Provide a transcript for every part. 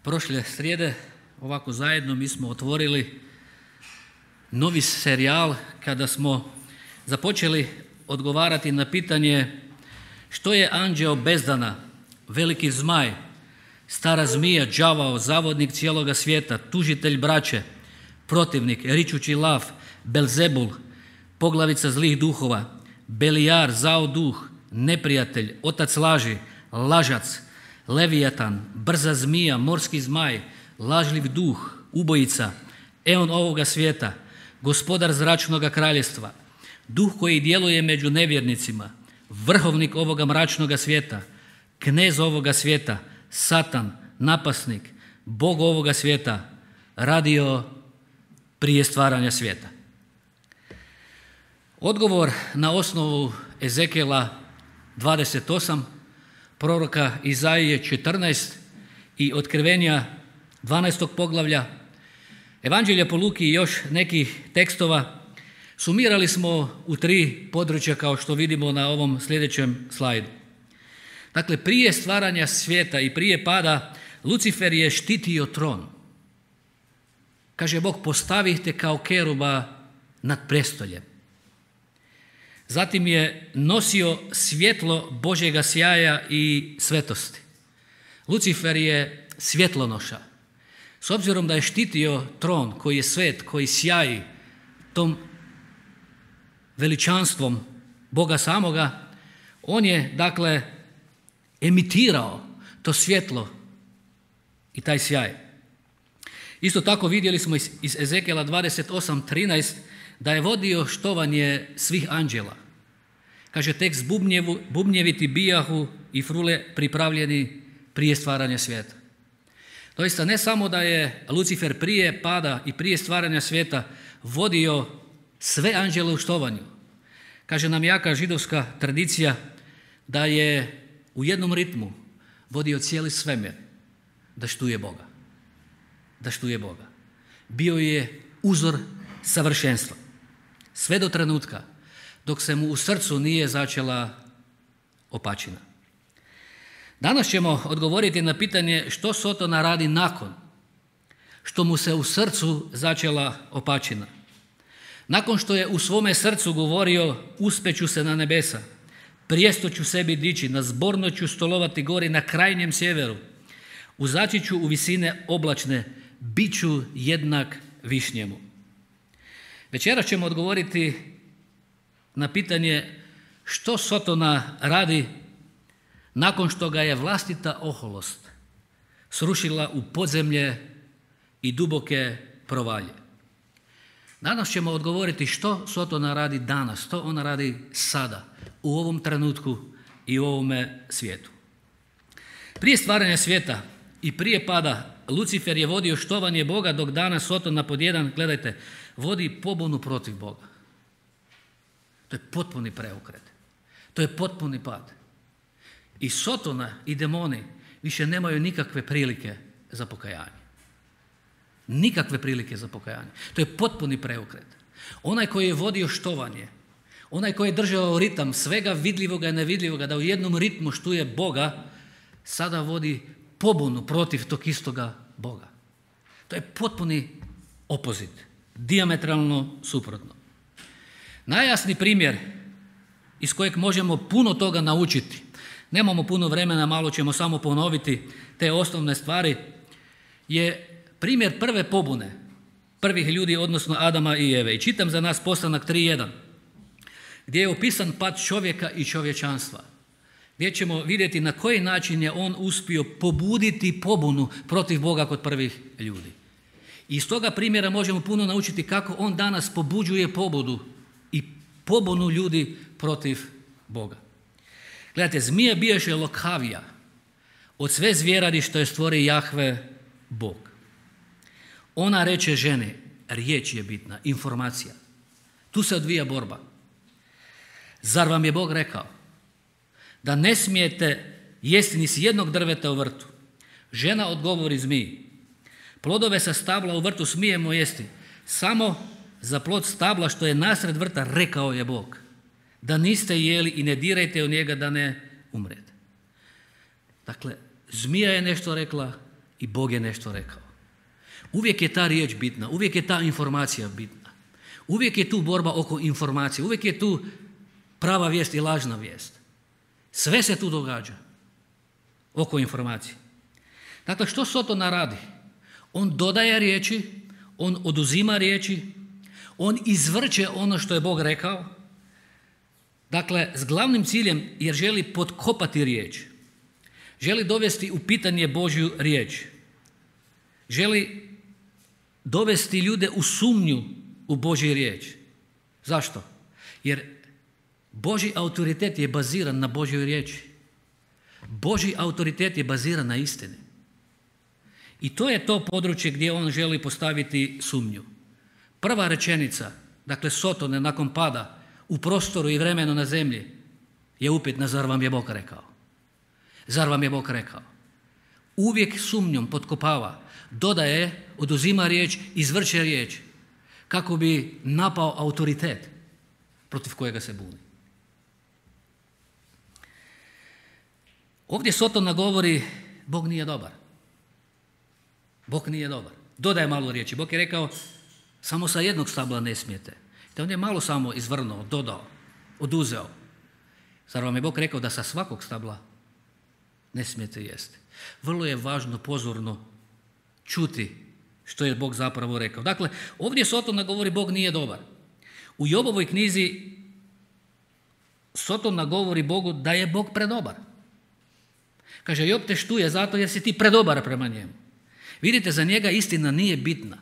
prošle srijede ovako zajedno mi smo otvorili novi serijal kada smo započeli odgovarati na pitanje što je anđeo bezdana, veliki zmaj, stara zmija, đavao, zavodnik cijeloga svijeta, tužitelj braće, protivnik, ričući lav, Belzebul, poglavica zlih duhova, Belijar, zao duh, neprijatelj, otac laži, lažac, Levijatan, brza zmija, morski zmaj, lažljiv duh, ubojica, eon ovoga svijeta, gospodar zračnoga kraljevstva, duh koji djeluje među nevjernicima, vrhovnik ovoga mračnoga svijeta, knez ovoga svijeta, Satan, napasnik, Bog ovoga svijeta, radio prije stvaranja svijeta. Odgovor na osnovu Ezekijela 28, proroka Izaije 14 i Otkrivenja 12. poglavlja, Evanđelja po Luki i još nekih tekstova sumirali smo u 3 područja kao što vidimo na ovom sljedećem slajdu. Dakle, prije stvaranja svijeta i prije pada Lucifer je štitio tron. Kaže Bog, postavite kao keruba nad prestoljem. Zatim je nosio svjetlo Božjega sjaja i svetosti. Lucifer je svjetlonoša. S obzirom da je štitio tron koji je svet, koji sjaji tom veličanstvom Boga samoga, on je dakle emitirao to svjetlo i taj sjaj. Isto tako vidjeli smo iz Ezekijela 28:13 da je vodio štovanje svih anđela. Kaže tekst, bubnjevi ti bijahu i frule pripravljeni prije stvaranja svijeta. Doista ne samo da je Lucifer prije pada i prije stvaranja svijeta vodio sve anđele u štovanju. Kaže nam jaka židovska tradicija da je u jednom ritmu vodio cijeli svemir da štuje Boga. Da štuje Boga. Bio je uzor savršenstva. Sve do trenutka dok se mu u srcu nije začela opačina. Danas ćemo odgovoriti na pitanje što Sotona radi nakon što mu se u srcu začela opačina. Nakon što je u svome srcu govorio uspeću se na nebesa, prijesto ću sebi dići, na zborno ću stolovati gori na krajnjem sjeveru, uzaći ću u visine oblačne, bit ću jednak višnjemu. Večeras ćemo odgovoriti na pitanje što Sotona radi nakon što ga je vlastita oholost srušila u podzemlje i duboke provalje. Danas ćemo odgovoriti što Sotona radi danas, što ona radi sada, u ovom trenutku i u ovome svijetu. Prije stvaranja svijeta i prije pada Lucifer je vodio štovanje Boga, dok danas Sotona pod jedan, gledajte, vodi pobunu protiv Boga. To je potpuni preokret. To je potpuni pad. I Sotona i demoni više nemaju nikakve prilike za pokajanje. Nikakve prilike za pokajanje. To je potpuni preokret. Onaj koji je vodio štovanje, onaj koji je držao ritam svega vidljivoga i nevidljivoga, da u jednom ritmu štuje Boga, sada vodi pobunu protiv tog istoga Boga. To je potpuni opozit, dijametralno suprotno. Najjasniji primjer iz kojeg možemo puno toga naučiti, nemamo puno vremena, malo ćemo samo ponoviti te osnovne stvari, je primjer prve pobune prvih ljudi, odnosno Adama i Eve. I čitam za nas Postanak 3.1, gdje je opisan pad čovjeka i čovječanstva, gdje ćemo vidjeti na koji način je on uspio pobuditi pobunu protiv Boga kod prvih ljudi. I iz toga primjera možemo puno naučiti kako on danas pobuđuje pobudu i pobunu ljudi protiv Boga. Gledajte, zmija bijaše lokavija od sve zvjeradi što je stvori Jahve Bog. Ona reče ženi, riječ je bitna, informacija. Tu se odvija borba. Zar vam je Bog rekao da ne smijete jesti ni s jednog drveta u vrtu? Žena odgovori zmiji, plodove sa stabla u vrtu smijemo jesti, samo za plod stabla što je nasred vrta rekao je Bog, da niste jeli i ne dirajte u njega da ne umrete. Dakle, zmija je nešto rekla i Bog je nešto rekao. Uvijek je ta riječ bitna, uvijek je ta informacija bitna. Uvijek je tu borba oko informacije, uvijek je tu prava vijest i lažna vijest. Sve se tu događa oko informacije. Dakle, što Sotona radi? On dodaje riječi, on oduzima riječi, on izvrće ono što je Bog rekao. Dakle, s glavnim ciljem jer želi potkopati riječ. Želi dovesti u pitanje Božju riječ. Želi dovesti ljude u sumnju u Božju riječ. Zašto? Jer Božji autoritet je baziran na Božjoj riječi. Božji autoritet je baziran na istini. I to je to područje gdje on želi postaviti sumnju. Prva rečenica, dakle Sotone nakon pada u prostoru i vremenu na zemlji je upitna, zar vam je Bog rekao? Zar vam je Bog rekao? Uvijek sumnjom potkopava, dodaje, oduzima riječ, izvrće riječ kako bi napao autoritet protiv kojega se buni. Ovdje Sotona govori Bog nije dobar. Bog nije dobar. Dodaje malo riječi. Bog je rekao samo sa jednog stabla ne smijete. Te on je malo samo izvrnuo, dodao, oduzeo. Zar vam je Bog rekao da sa svakog stabla ne smijete jesti? Vrlo je važno pozorno čuti što je Bog zapravo rekao. Dakle, ovdje Sotona govori Bog nije dobar. U Jobovoj knjizi Sotona govori Bogu da je Bog predobar. Kaže, Job te štuje zato jer si ti predobar prema njemu. Vidite, za njega istina nije bitna.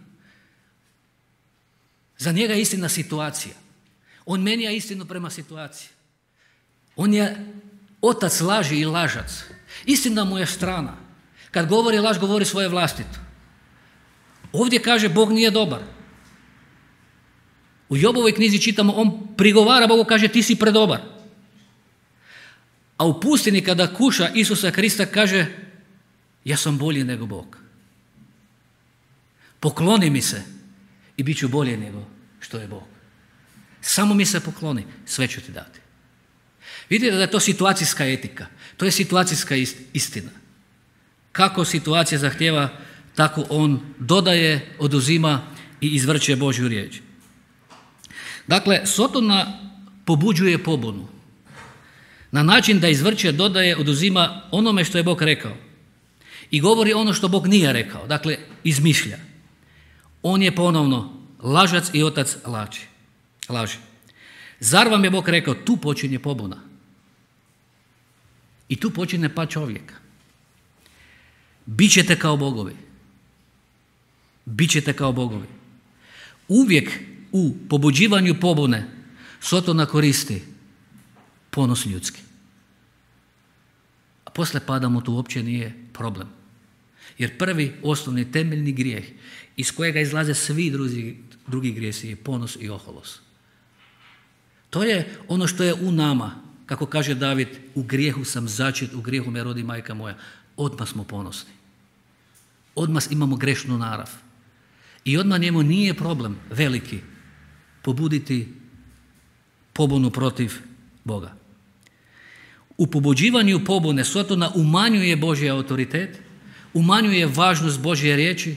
Za njega je istina situacija. On menja istinu prema situaciji. On je otac laži i lažac. Istina mu je strana. Kad govori laž, govori svoje vlastito. Ovdje kaže Bog nije dobar. U Jobovoj knjizi čitamo, on prigovara Bogu, kaže ti si predobar. A u pustini kada kuša Isusa Krista kaže ja sam bolji nego Bog. Pokloni mi se i bit ću bolje nego što je Bog. Samo mi se pokloni, sve ću ti dati. Vidite da je to situacijska etika, to je situacijska istina. Kako situacija zahtjeva, tako on dodaje, oduzima i izvrće Božju riječ. Dakle, Sotona pobuđuje pobunu na način da izvrće, dodaje, oduzima onome što je Bog rekao i govori ono što Bog nije rekao, dakle izmišlja. On je ponovno lažac i otac laži. Zar vam je Bog rekao, tu počinje pobuna. I tu počinje pad čovjeka. Bićete kao bogovi. Bićete kao bogovi. Uvijek u pobuđivanju pobune Sotona koristi ponos ljudski. A poslije pada mu to uopće nije problem. Jer prvi osnovni temeljni grijeh iz kojega izlaze svi drugi grijesi je ponos i oholost. To je ono što je u nama, kako kaže David, u grijehu sam začet, u grijehu me rodi majka moja. Odmah smo ponosni. Odmah imamo grešnu narav. I odmah njemu nije problem veliki pobuditi pobunu protiv Boga. U pobuđivanju pobune Sotona umanjuje Božji autoritet, umanjuje važnost Božje riječi,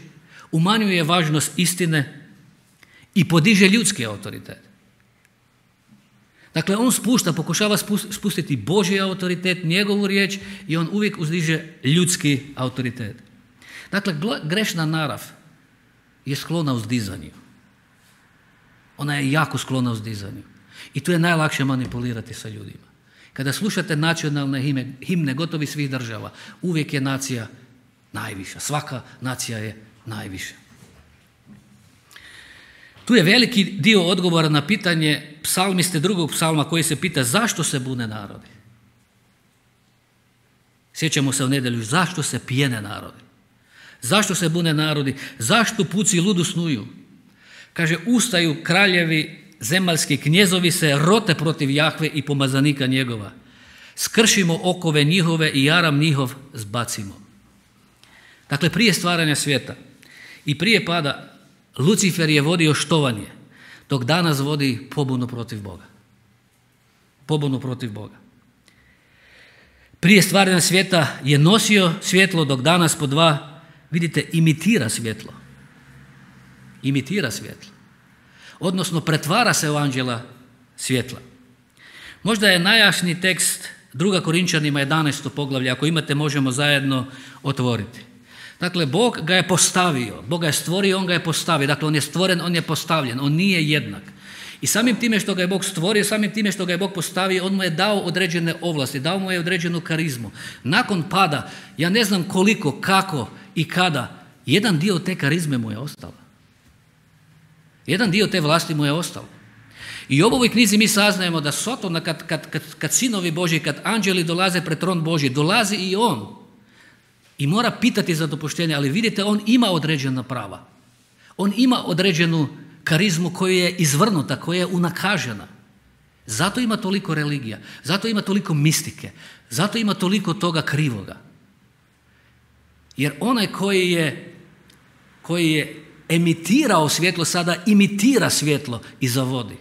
umanjuje važnost istine i podiže ljudski autoritet. Dakle, on pokušava spustiti Božji autoritet, njegovu riječ i on uvijek uzdiže ljudski autoritet. Dakle, grešna narav je sklona uzdizanju. Ona je jako sklona uzdizanju. I tu je najlakše manipulirati sa ljudima. Kada slušate nacionalne himne gotovi svih država, uvijek je nacija najviša. Svaka nacija je najviša. Tu je veliki dio odgovora na pitanje psalmiste drugog psalma koji se pita zašto se bune narodi. Sjećamo se u nedjelju, zašto se pijene narodi? Zašto se bune narodi? Zašto puci ludu snuju? Kaže, ustaju kraljevi, zemaljski knjezovi se rote protiv Jahve i pomazanika njegova. Skršimo okove njihove i jaram njihov zbacimo. Dakle, prije stvaranja svijeta i prije pada Lucifer je vodio štovanje, dok danas vodi pobunu protiv Boga. Pobunu protiv Boga. Prije stvaranja svijeta je nosio svjetlo, dok danas po dva vidite, imitira svjetlo. Imitira svjetlo. Odnosno, pretvara se u anđela svjetla. Možda je najjašniji tekst 2. Korinčanima 11. poglavlje, ako imate možemo zajedno otvoriti. Dakle, Bog ga je postavio, Bog ga je stvorio, on ga je postavio. Dakle, on je stvoren, on je postavljen, on nije jednak. I samim time što ga je Bog stvorio, samim time što ga je Bog postavio, on mu je dao određene ovlasti, dao mu je određenu karizmu. Nakon pada, ja ne znam koliko, kako i kada, jedan dio te karizme mu je ostao. Jedan dio te vlasti mu je ostao. I u ovoj knjizi mi saznajemo da Sotona, kad sinovi Božji, kad anđeli dolaze pred tron Božji, dolazi i on. I mora pitati za dopuštenje, ali vidite, on ima određena prava. On ima određenu karizmu koja je izvrnuta, koja je unakažena. Zato ima toliko religija, zato ima toliko mistike, zato ima toliko toga krivoga. Jer onaj koji je emitirao svjetlo, sada imitira svjetlo i zavodi.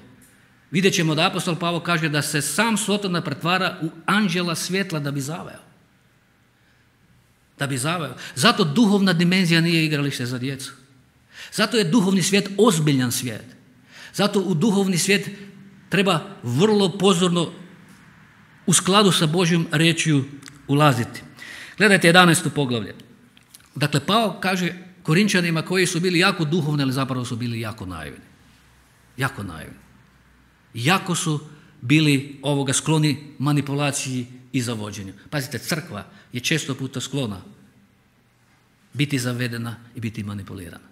Vidjet ćemo da apostol Pavao kaže da se sam Sotona pretvara u anđela svjetla da bi zaveo. Da bi zaveo. Zato duhovna dimenzija nije igralište za djecu. Zato je duhovni svijet ozbiljan svijet. Zato u duhovni svijet treba vrlo pozorno u skladu sa Božjom riječju ulaziti. Gledajte 11. poglavlje. Dakle, Pavao kaže Korinčanima koji su bili jako duhovni, ali zapravo su bili jako naivni. Jako naivni. Jako su bili skloni manipulaciji i zavođenju. Pazite, crkva je često puta sklona biti zavedena i biti manipulirana.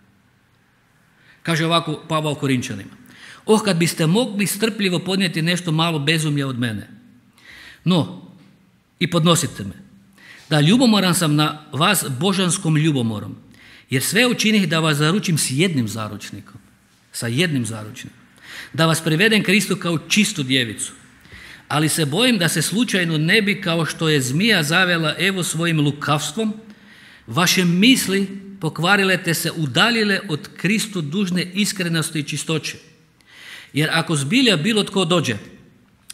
Kaže ovako Pavao Korinčanima: kad biste mogli strpljivo podnijeti nešto malo bezumlja od mene. No, i podnosite me, da ljubomoran sam na vas božanskom ljubomorom, jer sve učinih da vas zaručim s jednim zaručnikom, da vas privedem Kristu kao čistu djevicu. Ali se bojim da se slučajno ne bi, kao što je zmija zavela Evu svojim lukavstvom, vaše misli pokvarile te se udaljile od Kristu dužne iskrenosti i čistoće. Jer ako zbilja bilo tko dođe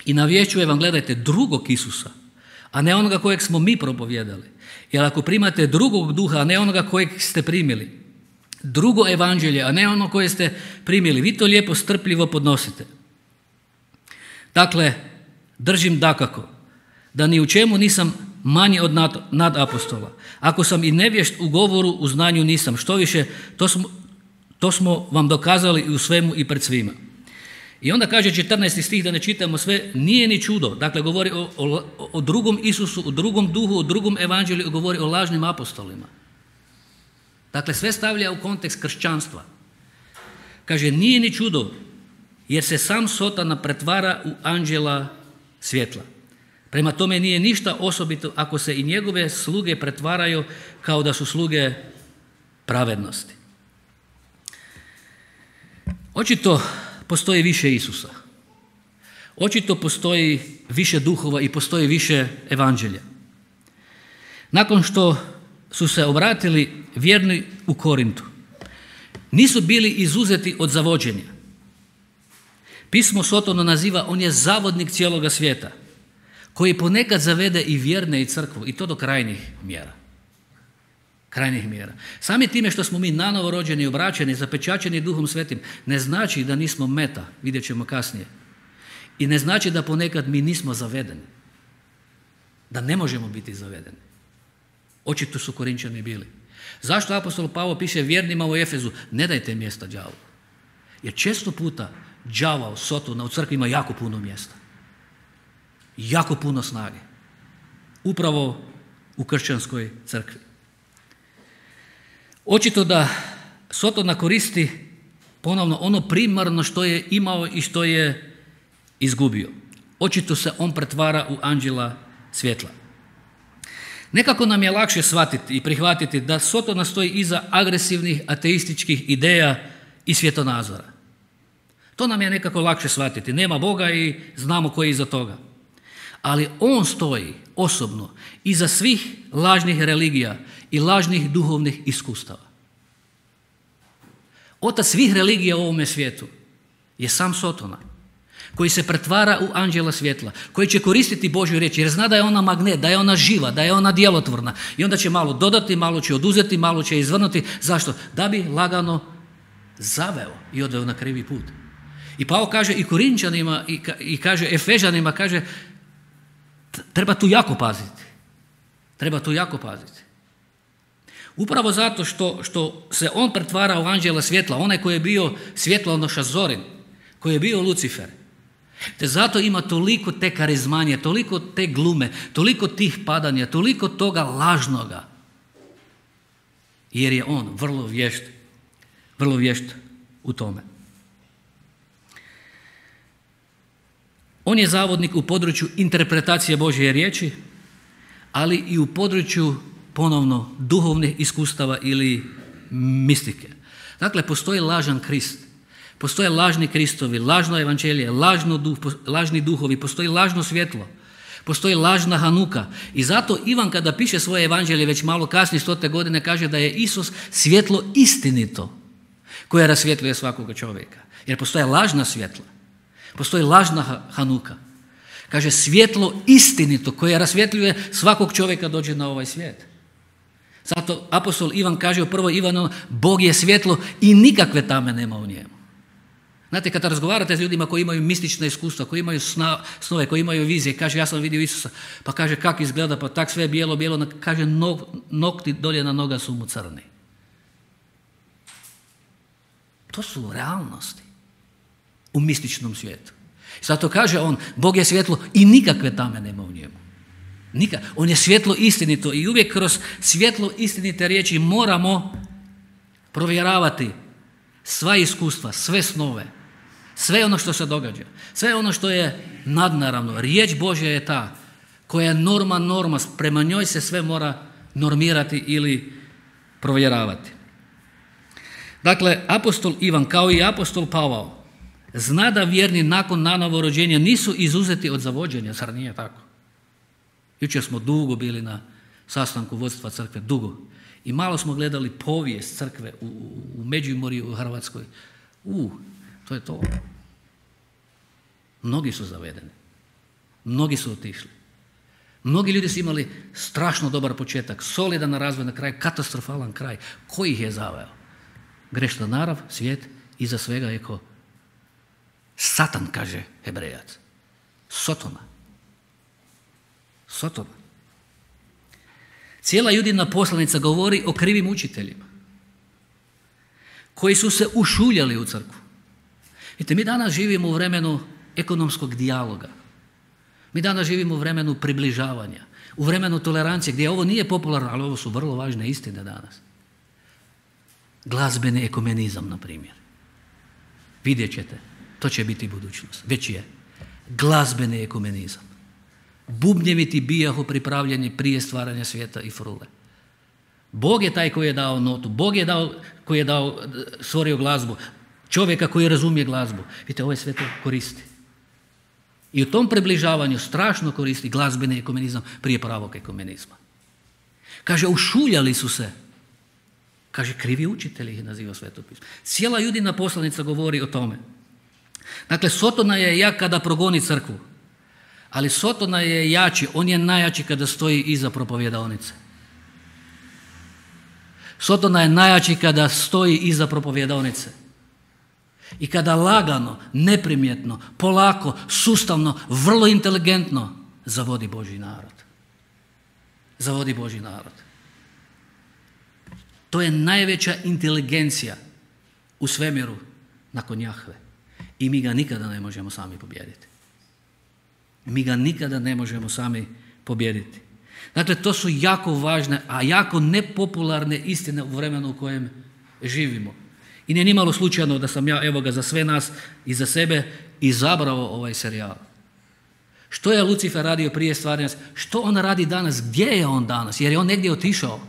i navješćuje vam, gledajte, drugog Isusa, a ne onoga kojeg smo mi propovijedali, jer ako primate drugog duha, a ne onoga kojeg ste primili, drugo evanđelje, a ne ono koje ste primili, vi to lijepo strpljivo podnosite. Dakle, držim dakako da ni u čemu nisam manji od nadapostola. Ako sam i nevješt u govoru, u znanju nisam. Štoviše, to smo vam dokazali i u svemu i pred svima. I onda kaže 14. stih, da ne čitamo sve, nije ni čudo. Dakle, govori o drugom Isusu, o drugom duhu, o drugom evanđelju, govori o lažnim apostolima. Dakle, sve stavlja u kontekst kršćanstva. Kaže, nije ni čudo, jer se sam Sotona pretvara u anđela svjetla. Prema tome nije ništa osobito ako se i njegove sluge pretvaraju kao da su sluge pravednosti. Očito postoji više Isusa. Očito postoji više duhova i postoji više evanđelja. Nakon što su se obratili vjerni u Korintu, nisu bili izuzeti od zavođenja. Pismo Sotonu naziva, on je zavodnik cijeloga svijeta, koji ponekad zavede i vjerne i crkvu, i to do krajnjih mjera. Krajnjih mjera. Sami time što smo mi nanovo rođeni, obraćeni, zapečaćeni Duhom Svetim, ne znači da nismo meta, vidjet ćemo kasnije. I ne znači da ponekad mi nismo zavedeni. Da ne možemo biti zavedeni. Očito su Korinčani bili. Zašto apostol Pavao piše vjernima u Efezu, ne dajte mjesta đavolu? Jer često puta đavao, Sotona u crkvi ima jako puno mjesta. Jako puno snage. Upravo u kršćanskoj crkvi. Očito da Sotona koristi ponovno ono primarno što je imao i što je izgubio. Očito se on pretvara u anđela svjetla. Nekako nam je lakše shvatiti i prihvatiti da Sotona stoji iza agresivnih ateističkih ideja i svjetonazora. To nam je nekako lakše shvatiti. Nema Boga i znamo ko je iza toga. Ali on stoji osobno iza svih lažnih religija i lažnih duhovnih iskustava. Otac svih religija u ovome svijetu je sam Sotona. koji se pretvara u anđela svjetla, koji će koristiti Božju riječ jer zna da je ona magnet, da je ona živa, da je ona djelotvorna i onda će malo dodati, malo će oduzeti, malo će izvrnuti. Zašto? Da bi lagano zaveo i odveo na krivi put. I Pavao kaže i Korinčanima i kaže Efežanima, kaže treba tu jako paziti. Treba tu jako paziti. Upravo zato što se on pretvara u anđela svjetla, onaj koji je bio svjetlonoša Zorin, koji je bio Lucifer. Te zato ima toliko te karizmanje, toliko te glume, toliko tih padanja, toliko toga lažnoga. Jer je on vrlo vješt u tome. On je zavodnik u području interpretacije Božje riječi, ali i u području ponovno duhovnih iskustava ili mistike. Dakle, postoji lažan Krist, postoje lažni Kristovi, lažno evanđelje, lažni duhovi, postoji lažno svjetlo, postoji lažna Hanuka. I zato Ivan kada piše svoje evanđelje već malo kasnije 100. godine kaže da je Isus svjetlo istinito koje rasvjetljuje svakoga čovjeka. Jer postoje lažna svjetla, postoji lažna Hanuka. Kaže svjetlo istinito koje rasvjetljuje svakog čovjeka dođe na ovaj svijet. Zato apostol Ivan kaže u 1. Ivanu, Bog je svjetlo i nikakve tame nema u njemu. Znate, kada razgovarate s ljudima koji imaju mistična iskustva, koji imaju snove, koji imaju vizije, kaže ja sam vidio Isusa, pa kaže kako izgleda, pa tak sve bijelo, kaže nokti dolje na noga su mu crni. To su realnosti u mističnom svijetu. Zato kaže on, Bog je svjetlo i nikakve tame nema u njemu. On je svjetlo istinito i uvijek kroz svjetlo istinite riječi moramo provjeravati sva iskustva, sve snove, sve ono što se događa, sve ono što je nadnaravno. Riječ Božja je ta koja je norma, prema njoj se sve mora normirati ili provjeravati. Dakle, apostol Ivan kao i apostol Pavao zna da vjerni nakon nanovo rođenja nisu izuzeti od zavođenja, zar nije tako? Jučer smo dugo bili na sastanku vodstva crkve, dugo. I malo smo gledali povijest crkve u Međimurju, u Hrvatskoj. To je to. Mnogi su zavedeni. Mnogi su otišli. Mnogi ljudi su imali strašno dobar početak, solidan razvoj na kraj, katastrofalan kraj. Ko ih je zaveo? Grešna narav, svijet, iza svega je ko Satan, kaže Hebrejac. Sotona. Cijela Judina poslanica govori o krivim učiteljima koji su se ušuljali u crkvu. Vidite, mi danas živimo u vremenu ekonomskog dijaloga. Mi danas živimo u vremenu približavanja, u vremenu tolerancije gdje ovo nije popularno, ali ovo su vrlo važne istine danas. Glazbeni ekumenizam, na primjer. Vidjet ćete, to će biti budućnost. Već je. Glazbeni ekumenizam. Bubnjevi ti bijahu pripravljeni prije stvaranja svijeta i frule. Bog je taj koji je dao notu, Bog je koji je stvorio glazbu, čovjeka koji razumije glazbu. Vidite, ovaj sve to koristi. I u tom približavanju strašno koristi glazbeni ekumenizam prije pravog ekumenizma. Kaže, ušuljali su se. Kaže, krivi učitelji ih naziva Sveto pismo. Cijela Judina poslanica govori o tome. Dakle, Sotona je jak kada progoni crkvu. Ali Sotona je jači, on je najjači kada stoji iza propovjedaonice. Sotona je najjači kada stoji iza propovjedaonice. I kada lagano, neprimjetno, polako, sustavno, vrlo inteligentno zavodi Božji narod. Zavodi Božji narod. To je najveća inteligencija u svemiru nakon Jahve. I mi ga nikada ne možemo sami pobijediti. Mi ga nikada ne možemo sami pobijediti. Dakle, to su jako važne, a jako nepopularne istine u vremenu u kojem živimo. I nije nimalo slučajno da sam ja, evo ga, za sve nas i za sebe izabrao ovaj serijal. Što je Lucifer radio prije stvaranja? Što on radi danas? Gdje je on danas? Jer je on negdje otišao.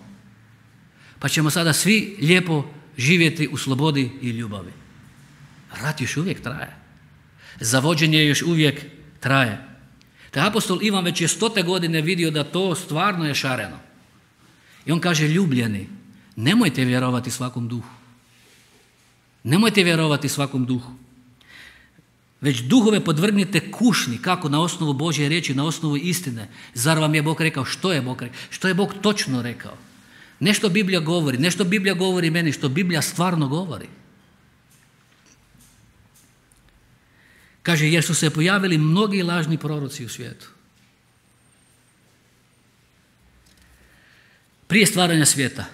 Pa ćemo sada svi lijepo živjeti u slobodi i ljubavi. Rat još uvijek traje. Zavođenje još uvijek traje. Te apostol Ivan već je 100. godine vidio da to stvarno je šareno. I on kaže, ljubljeni, nemojte vjerovati svakom duhu. Nemojte vjerovati svakom duhu. već duhove podvrgnite kušnji, kako na osnovu Božje riječi, na osnovu istine. Zar vam je Bog rekao? Što je Bog rekao? Što je Bog točno rekao? Nešto Biblija govori, nešto Biblija govori meni, što Biblija stvarno govori. Kaže, jer su se pojavili mnogi lažni proroci u svijetu. Prije stvaranja svijeta,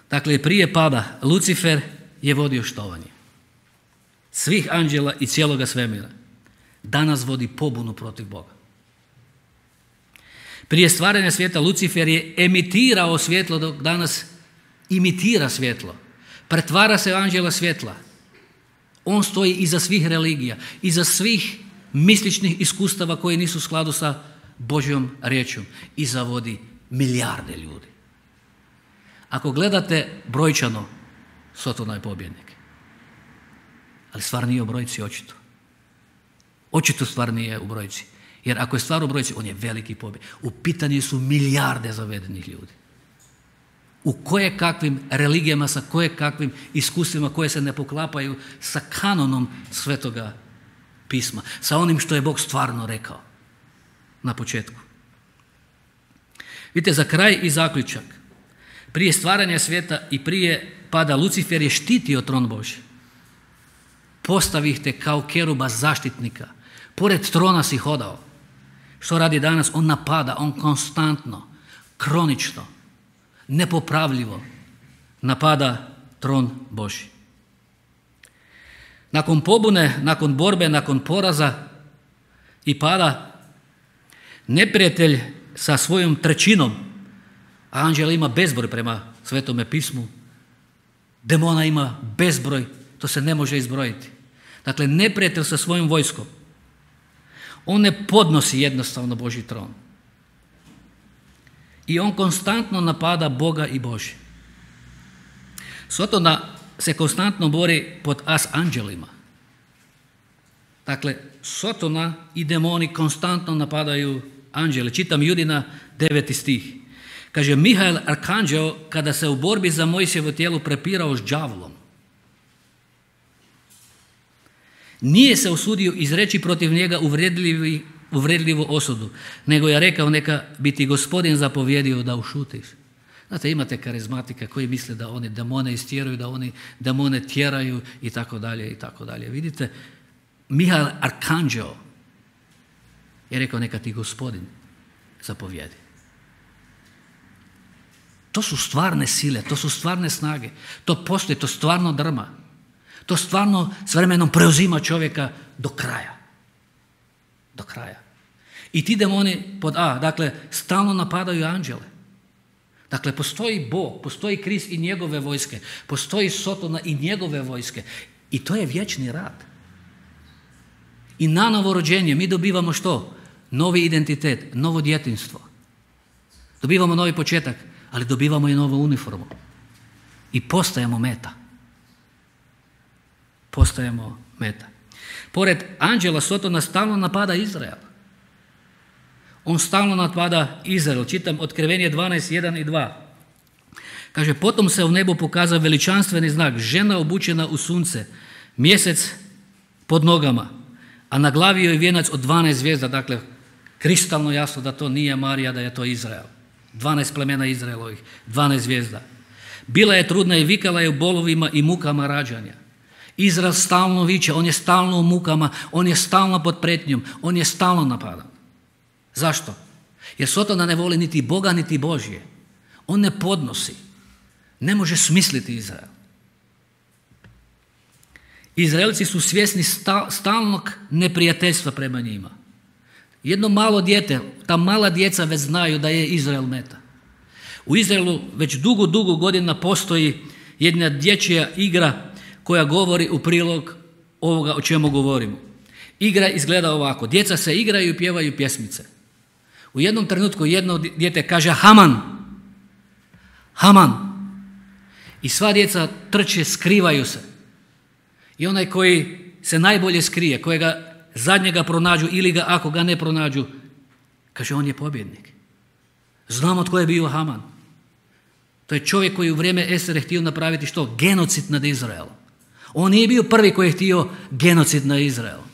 dakle prije pada, Lucifer je vodio štovanje svih anđela i cijeloga svemira. Danas vodi pobunu protiv Boga. Prije stvaranja svijeta Lucifer je emitirao svjetlo, dok danas imitira svjetlo. Pretvara se u anđela svjetla. On stoji iza svih religija, iza svih mističnih iskustava koji nisu u skladu sa Božjom riječom i zavodi milijarde ljudi. Ako gledate brojčano, Sotona je pobjednik. Ali stvar nije u brojci, očito. Očito stvar nije u brojci. Jer ako je stvar u brojci, on je veliki pobjednik. U pitanju su milijarde zavedenih ljudi. U kojekakvim religijama, sa kojekakvim iskustvima koje se ne poklapaju sa kanonom Svetoga pisma. Sa onim što je Bog stvarno rekao na početku. Vidite, za kraj i zaključak. Prije stvaranja svijeta i prije pada Lucifer je štitio tron Božji. Postavi ih te kao keruba zaštitnika. Pored trona si hodao. Što radi danas? On napada, on konstantno, kronično, nepopravljivo napada tron Božji. Nakon pobune, nakon borbe, nakon poraza i pada, neprijatelj sa svojom trećinom, a anđela ima bezbroj prema Svetome pismu, demona ima bezbroj, to se ne može izbrojiti. Dakle, neprijatelj sa svojom vojskom, on ne podnosi jednostavno Božji tron. I on konstantno napada Boga i Božje. Sotona se konstantno bori pod as anđelima. Dakle, Sotona i demoni konstantno napadaju anđele. Čitam Judina 9. stih. Kaže, Mihael arkanđeo kada se u borbi za Mojsijevo tijelo prepirao s đavolom, nije se usudio izreći protiv njega uvredljivu osudu, nego je rekao, neka bi ti Gospodin zapovjedio da ušutiš. Znate, imate karizmatike koji misle da oni demone istjeraju, da oni demone tjeraju i tako dalje i tako dalje. Vidite, Mihael arkanđeo je rekao, neka ti Gospodin zapovjedi. To su stvarne sile, to su stvarne snage, to postoji, to stvarno drma. To stvarno s vremenom preuzima čovjeka do kraja. Do kraja. I ti demoni pod A, dakle, stalno napadaju anđele. Dakle, postoji Bog, postoji Krist i njegove vojske, postoji Sotona i njegove vojske. I to je vječni rad. I na novorođenje mi dobivamo što? Novi identitet, novo djetinjstvo. Dobivamo novi početak, ali dobivamo i novu uniformu. I postajemo meta. Postajemo meta. Pored anđela Sotona stalno napada Izrael. On stalno napada Izrael. Čitam Otkrivenje 12:1 i 2. Kaže, potom se u nebu pokazao veličanstveni znak, žena obučena u sunce, mjesec pod nogama, a na glavi joj je vijenac od 12 zvijezda. Dakle, kristalno jasno da to nije Marija, da je to Izrael. 12 plemena Izraelovih, 12 zvijezda. Bila je trudna i vikala je u bolovima i mukama rađanja. Izrael stalno viče, on je stalno u mukama, on je stalno pod prijetnjom, on je stalno napadan. Zašto? Jer Sotona ne voli niti Boga, niti Božje. On ne podnosi. Ne može smisliti Izrael. Izraelci su svjesni stalnog neprijateljstva prema njima. Jedno malo dijete, ta mala djeca već znaju da je Izrael meta. U Izraelu već dugo godina postoji jedna dječja igra koja govori u prilog ovoga o čemu govorimo. Igra izgleda ovako. Djeca se igraju i pjevaju pjesmice. U jednom trenutku jedno dijete kaže Haman. Haman. I sva djeca trče, skrivaju se. I onaj koji se najbolje skrije, kojega zadnjega pronađu ili ga ako ga ne pronađu, kaže on je pobjednik. Znamo tko je bio Haman. To je čovjek koji u vrijeme Estere htio napraviti što? Genocid nad Izraelom. On nije bio prvi koji je htio genocid nad Izraelom.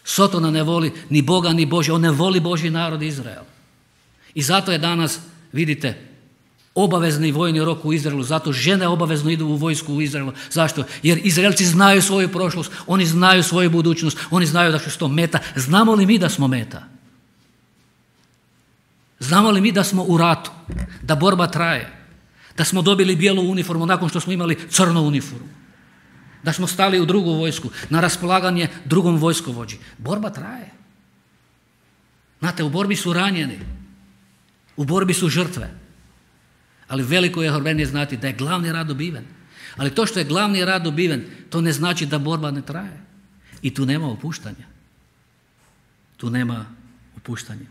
Sotona ne voli ni Boga ni Božje, on ne voli Božji narod Izrael. I zato je danas, vidite, obavezni vojni rok u Izraelu, zato žene obavezno idu u vojsku u Izraelu. Zašto? Jer Izraelci znaju svoju prošlost, oni znaju svoju budućnost, oni znaju da su to meta. Znamo li mi da smo meta? Znamo li mi da smo u ratu, da borba traje, da smo dobili bijelu uniformu nakon što smo imali crnu uniformu, da smo stali u drugu vojsku, na raspolaganje drugom vojskovođi? Borba traje. Znate, u borbi su ranjeni, u borbi su žrtve. Ali veliko je ohrabrenje znati da je glavni rad dobiven. Ali to što je glavni rad dobiven, to ne znači da borba ne traje. I tu nema opuštanja. Tu nema opuštanja.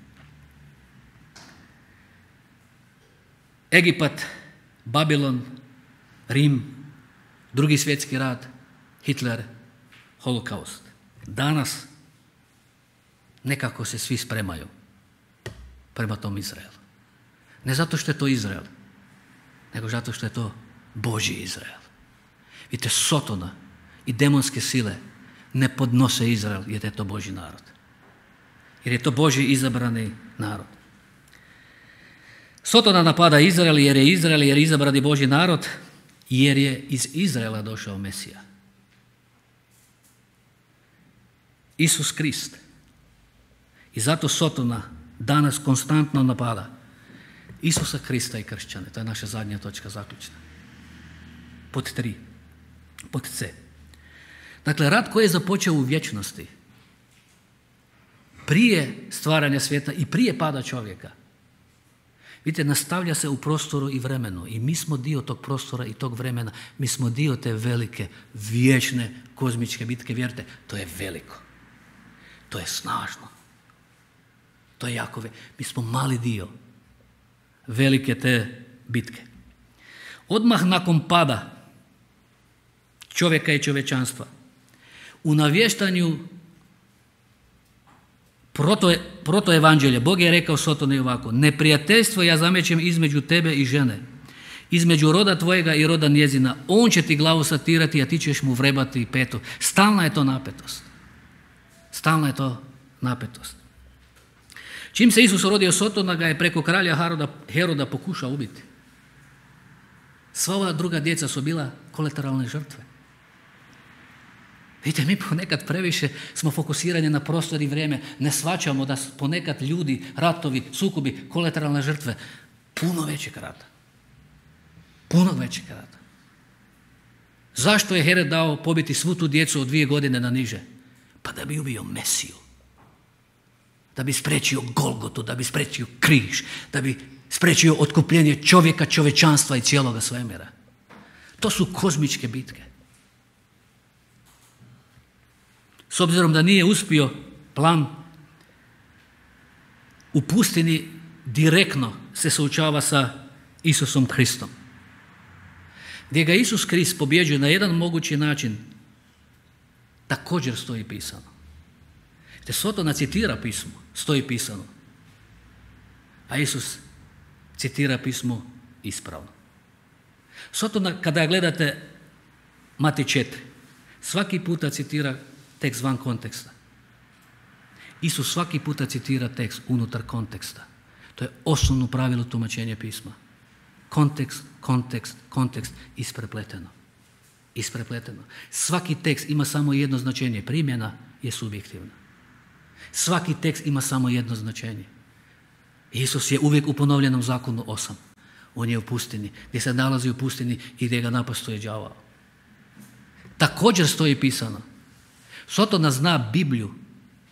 Egipat, Babilon, Rim, Drugi svjetski rat, Hitler, Holokaust. Danas nekako se svi spremaju prema tom Izraelu. Ne zato što je to Izrael, nego zato što je to Božji Izrael. Vidite, Sotona i demonske sile ne podnose Izrael jer je to Božji narod. Jer je to Božji izabrani narod. Sotona napada Izrael jer je izabrani Božji narod, jer je iz Izraela došao Mesija. Isus Krist. I zato Sotona danas konstantno napada Isusa Krista i kršćane. To je naša zadnja točka zaključna. Pod 3. Pod C. Dakle, rat koji je započeo u vječnosti, prije stvaranja svijeta i prije pada čovjeka, vidite, nastavlja se u prostoru i vremenu. I mi smo dio tog prostora i tog vremena. Mi smo dio te velike, vječne, kozmičke bitke. Vjerujte, to je veliko. To je snažno. To je jako veliko. Mi smo mali dio velike te bitke. Odmah nakon pada čovjeka i čovječanstva, u navještanju protoevanđelja, Bog je rekao Sotoni ovako: neprijateljstvo ja zamećem između tebe i žene, između roda tvojega i roda njezina. On će ti glavu satirati, a ti ćeš mu vrebati peto. Stalna je to napetost. Stalna je to napetost. Čim se Isus rodio, Sotona ga je preko kralja Heroda pokušao ubiti. Sva ova druga djeca su bila kolateralne žrtve. Vidite, mi ponekad previše smo fokusirani na prostor i vrijeme, ne shvaćamo da ponekad ljudi, ratovi, sukobi, kolateralne žrtve, puno većeg rata. Puno većeg rata. Zašto je Herod dao pobiti svu tu djecu od 2 godine na niže? Pa da bi ubio Mesiju. Da bi spriječio Golgotu, da bi spriječio križ, da bi spriječio otkupljenje čovjeka, čovječanstva i cijeloga svemira. To su kozmičke bitke. S obzirom da nije uspio plan, u pustini direktno se suočava sa Isusom Kristom. Gdje ga Isus Krist pobjeđuje na jedan mogući način, također stoji pisano. Te Sotona citira pismo, stoji pisano. A Isus citira pismo ispravno. Sotona, kada gledate Matej 4, svaki puta citira tekst van konteksta. Isus svaki puta citira tekst unutar konteksta. To je osnovno pravilo tumačenja pisma. Kontekst, kontekst, kontekst, isprepleteno. Isprepleteno. Svaki tekst ima samo jedno značenje. Primjena je subjektivna. Svaki tekst ima samo jedno značenje. Isus je uvijek u ponovljenom zakonu 8. On je u pustini, gdje se nalazi u pustini i gdje ga napastuje đavao. Također stoji pisano: Sotona zna Bibliju,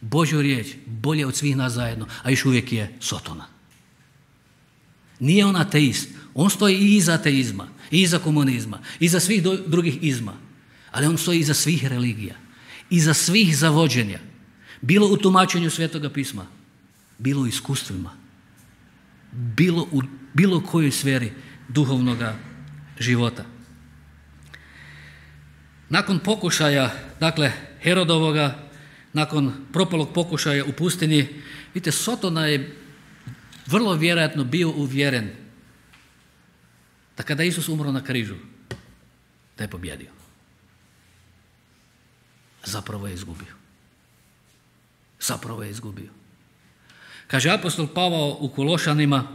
Božju riječ, bolje od svih nas zajedno, a još uvijek je Sotona. Nije on ateist, on stoji i iza ateizma, i iza komunizma, i iza svih drugih izma, ali on stoji iza svih religija, iza svih zavođenja, bilo u tumačenju Svetoga pisma, bilo u iskustvima, bilo u bilo kojoj sferi duhovnoga života. Nakon pokušaja, dakle, Herodovoga, nakon propalog pokušaja u pustini, vidite, Sotona je vrlo vjerojatno bio uvjeren da kada Isus umro na križu, da je pobjedio. Zapravo je izgubio. zapravo je izgubio. Kaže apostol Pavao u Kološanima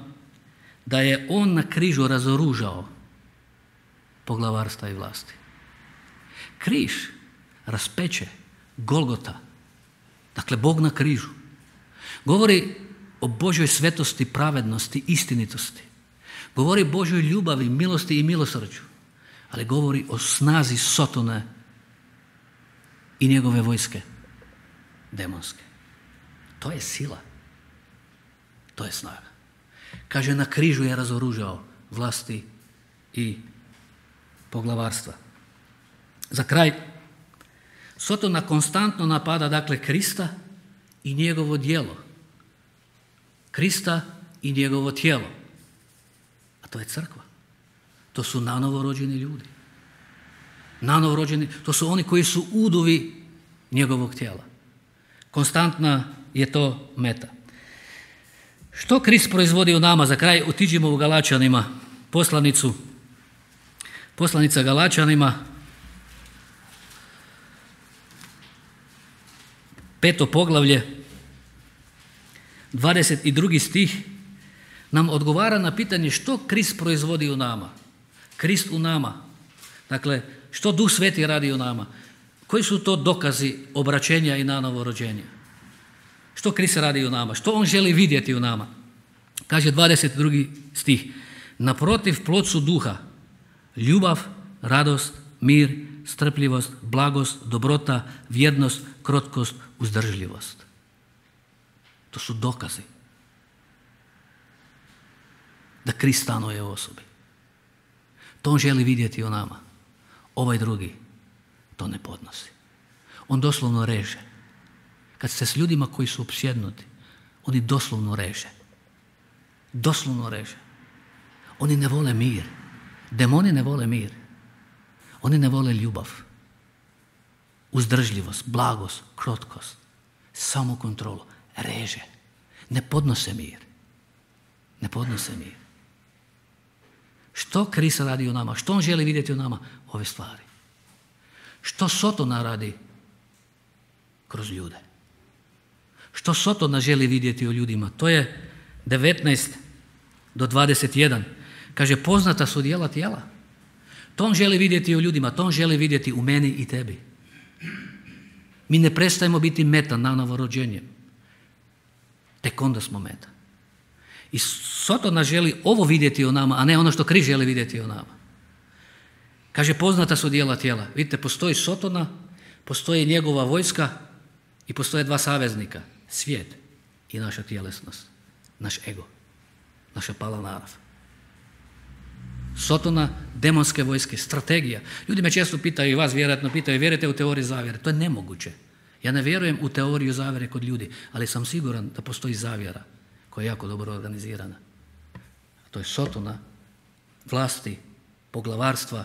da je on na križu razoružao poglavarstva i vlasti. Križ, raspeće, Golgota, dakle Bog na križu, govori o Božjoj svetosti, pravednosti, istinitosti. Govori o Božjoj ljubavi, milosti i milosrđu, ali govori o snazi Sotone i njegove vojske demonske. To je sila. To je snaga. Kaže, na križu je razoružao vlasti i poglavarstva. Za kraj, Sotona konstantno napada, dakle, Krista i njegovo djelo. Krista i njegovo tijelo. A to je crkva. To su nanovo rođeni ljudi. Nanovo rođeni, to su oni koji su udovi njegovog tijela. Konstantna je to meta. Što Krist proizvodi u nama? Za kraj otiđimo u Galačanima, poslanica Galačanima, 5. poglavlje, 22. stih, nam odgovara na pitanje što Krist proizvodi u nama. Krist u nama. Dakle, što Duh Sveti radi u nama? Koji su to dokazi obraćenja i nanovo rođenja? Što Krist radi u nama? Što on želi vidjeti u nama? Kaže 22. stih. Naprotiv, plod su duha, ljubav, radost, mir, strpljivost, blagost, dobrota, vjernost, krotkost, uzdržljivost. To su dokazi da Krist stanuje u osobi. To on želi vidjeti u nama. Ovaj drugi to ne podnosi. On doslovno reže. Kad ste s ljudima koji su opsjednuti, oni doslovno reže. Doslovno reže. Oni ne vole mir. Demoni ne vole mir. Oni ne vole ljubav, uzdržljivost, blagost, krotkost, samokontrolu. Reže. Ne podnose mir. Ne podnose mir. Što Krist radi u nama? Što on želi vidjeti u nama? Ove stvari. Što Sotona radi kroz ljude? Što Sotona želi vidjeti u ljudima? To je 19 do 21. Kaže, poznata su djela tijela. To on želi vidjeti u ljudima, to on želi vidjeti u meni i tebi. Mi ne prestajemo biti meta na novorođenjem. Tek onda smo meta. I Sotona želi ovo vidjeti u nama, a ne ono što Krist želi vidjeti u nama. Kaže, poznata su djela tijela. Vidite, postoji Sotona, postoji njegova vojska i postoje dva saveznika. Svijet i naša tjelesnost, naš ego, naša pala narav. Sotona, demonske vojske, strategija. Ljudi me često pitaju, i vas vjerojatno pitaju, vjerujete u teoriju zavjere? To je nemoguće. Ja ne vjerujem u teoriju zavjere kod ljudi, ali sam siguran da postoji zavjera koja je jako dobro organizirana. A to je Sotona, vlasti, poglavarstva,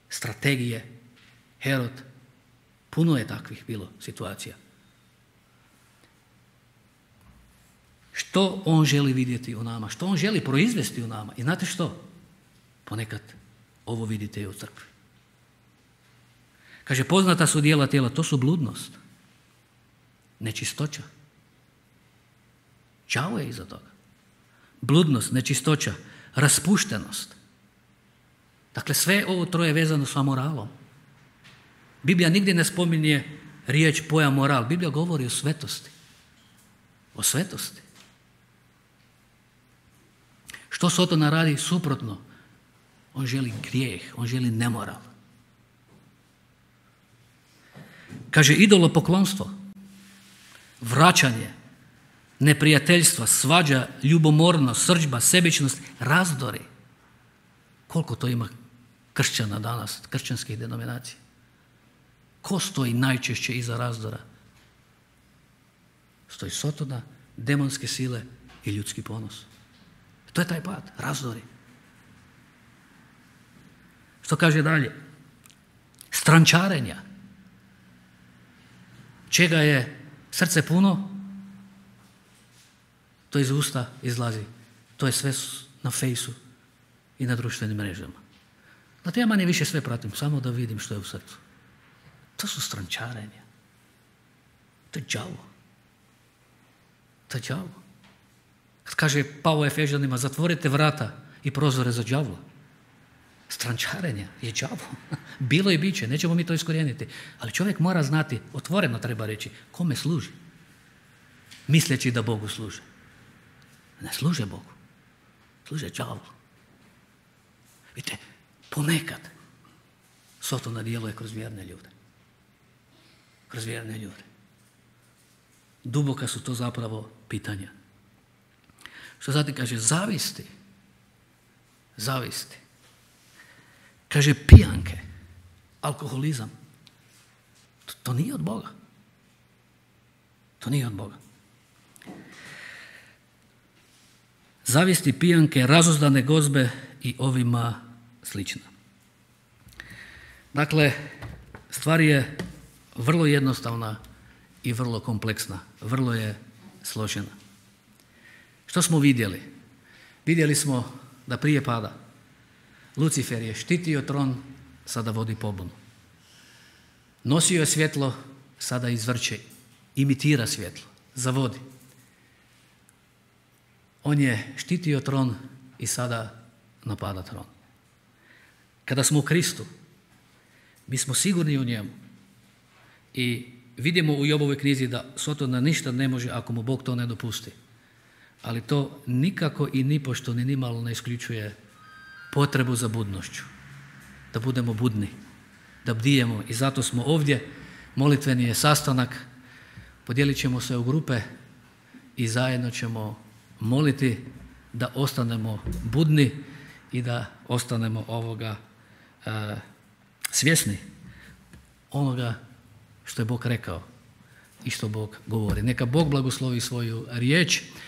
strategije, Herod. Puno je takvih bilo situacija. Što on želi vidjeti u nama? Što on želi proizvesti u nama? I znate što? Ponekad ovo vidite i u crkvi. Kaže, poznata su djela tijela, to su bludnost, nečistoća. Đavo je iza toga. Bludnost, nečistoća, raspuštenost. Dakle, sve ovo troje je vezano sa moralom. Biblija nigdje ne spominje riječ, pojam moral. Biblija govori o svetosti. O svetosti. Što Sotona radi? Suprotno. On želi grijeh, on želi nemoral. Kaže, idolopoklonstvo, vraćanje, neprijateljstva, svađa, ljubomornost, srdžba, sebičnost, razdori. Koliko to ima kršćana danas, kršćanskih denominacija? Ko stoji najčešće iza razdora? Stoji Sotona, demonske sile i ljudski ponos. To je taj pad, razdori. Što kaže dalje? Strančarenja. Čega je srce puno, to iz usta izlazi. To je sve na fejsu i na društvenim mrežama. Znate, ja manje više sve pratim, samo da vidim što je u srcu. To su strančarenja. To je đavo. To je đavo. Kad kaže Pavao Efežanima, zatvorite vrata i prozore za đavla. Strančarenje je đavo. Bilo i bit će, nećemo mi to iskorijeniti. Ali čovjek mora znati, otvoreno treba reći, kome služi. Misleći da Bogu služe. Ne služe Bogu. Služe đavlu. Vidite, ponekad Sotona djeluje kroz vjerne ljude. Kroz vjerne ljude. Duboka su to zapravo pitanja. Što zatim kaže? Zavisti. Zavisti. Kaže pijanke, alkoholizam. To nije od Boga. To nije od Boga. Zavisti, pijanke, razuzdane gozbe i ovima slično. Dakle, stvar je vrlo jednostavna i vrlo kompleksna. Vrlo je složena. Što smo vidjeli? Vidjeli smo da prije pada Lucifer je štitio tron, sada vodi pobunu. Nosio je svjetlo, sada izvrće, imitira svjetlo, zavodi. On je štitio tron i sada napada tron. Kada smo u Kristu, mi smo sigurni u njemu i vidimo u Jobovoj knjizi da Sotona ništa ne može ako mu Bog to ne dopusti. Ali to nikako i nipošto ni nimalo ne isključuje potrebu za budnošću. Da budemo budni, da bdijemo i zato smo ovdje. Molitveni je sastanak, podijelit ćemo se u grupe i zajedno ćemo moliti da ostanemo budni i da ostanemo svjesni onoga što je Bog rekao i što Bog govori. Neka Bog blagoslovi svoju riječ.